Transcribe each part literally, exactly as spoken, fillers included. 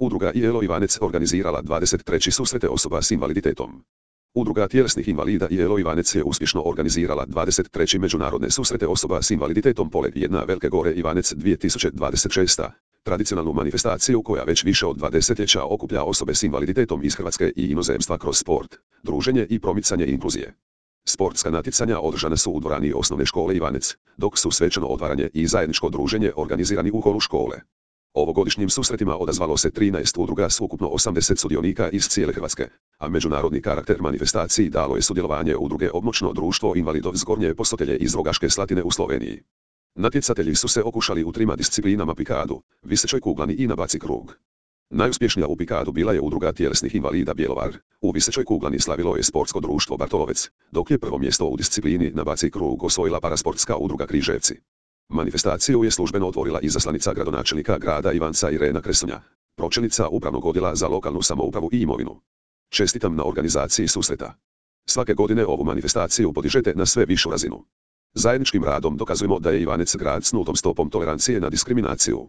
Udruga I L O Ivanec organizirala dvadeset treći susrete osoba s invaliditetom. Udruga tjelesnih invalida I L O Ivanec je uspješno organizirala dvadeset treći međunarodne susrete osoba s invaliditetom Poleg jedna Velike Gore Ivanec dvije tisuće dvadeset šest. Tradicionalnu manifestaciju koja već više od dva desetljeća okuplja osobe s invaliditetom iz Hrvatske i inozemstva kroz sport, druženje i promicanje inkluzije. Sportska natjecanja održana su u dvorani osnovne škole Ivanec, dok su svečano otvaranje i zajedničko druženje organizirani u holu škole. Ovogodišnjim susretima odazvalo se trinaest udruga s ukupno osamdeset sudionika iz cijele Hrvatske, a međunarodni karakter manifestaciji dalo je sudjelovanje udruge Obmoćno društvo invalidov z Gornje Posotelje iz Rogaške Slatine u Sloveniji. Natjecatelji su se okušali u trima disciplinama pikadu, visećoj kuglani i na baci krug. Najuspješnija u pikadu bila je udruga tjelesnih invalida Bjelovar, u visećoj kuglani slavilo je sportsko društvo Bartolovec, dok je prvo mjesto u disciplini na baci krug osvojila parasportska udruga Križevci. Manifestaciju je službeno otvorila izaslanica gradonačelnika grada Ivanca Irena Kresunja, pročelnica upravnog odjela za lokalnu samoupravu i imovinu. Čestitam na organizaciji susreta. Svake godine ovu manifestaciju podižete na sve višu razinu. Zajedničkim radom dokazujemo da je Ivanec grad s nultom stopom tolerancije na diskriminaciju.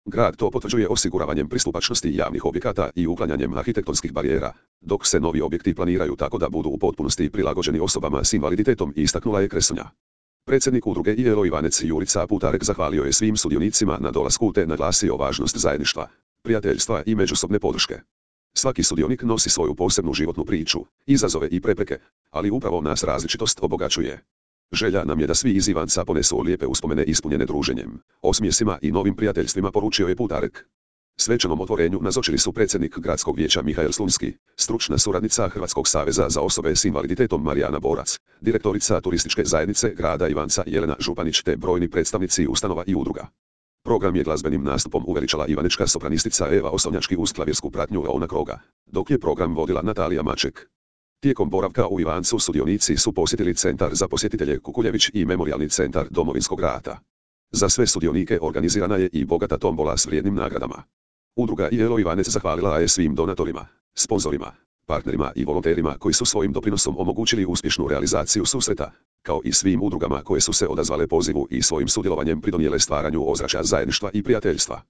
Grad to potvrđuje osiguravanjem pristupačnosti javnih objekata i uklanjanjem arhitektonskih barijera, dok se novi objekti planiraju tako da budu u potpunosti prilagođeni osobama s invaliditetom, istaknula je Kresunja. Predsjednik udruge I L O Ivanec Jurica Putarek zahvalio je svim sudionicima na dolasku te naglasio važnost zajedništva, prijateljstva i međusobne podrške. Svaki sudionik nosi svoju posebnu životnu priču, izazove i prepreke, ali upravo nas različitost obogaćuje. Želja nam je da svi iz Ivanca ponesu lijepe uspomene ispunjene druženjem, osmijesima i novim prijateljstvima, poručio je Putarek. Svečanom otvorenju nazočili su predsjednik gradskog vijeća Mihael Slunski, stručna suradnica Hrvatskog saveza za osobe s invaliditetom Marijana Borac, direktorica turističke zajednice grada Ivanca Jelena Županić te brojni predstavnici ustanova i udruga. Program je glazbenim nastupom uveličala ivanička sopranistica Eva Osovnjački uz klavirsku pratnju Leona Kroga, dok je program vodila Natalija Maček. Tijekom boravka u Ivancu sudionici su posjetili Centar za posjetitelje Kukuljević i Memorijalni centar Domovinskog rata. Za sve sudionike organizirana je i bogata tombola s vrijednim nagradama. Udruga I L O Ivanec zahvalila je svim donatorima, sponzorima, partnerima i volonterima koji su svojim doprinosom omogućili uspješnu realizaciju susreta, kao i svim udrugama koje su se odazvale pozivu i svojim sudjelovanjem pridonijele stvaranju ozračja zajedništva i prijateljstva.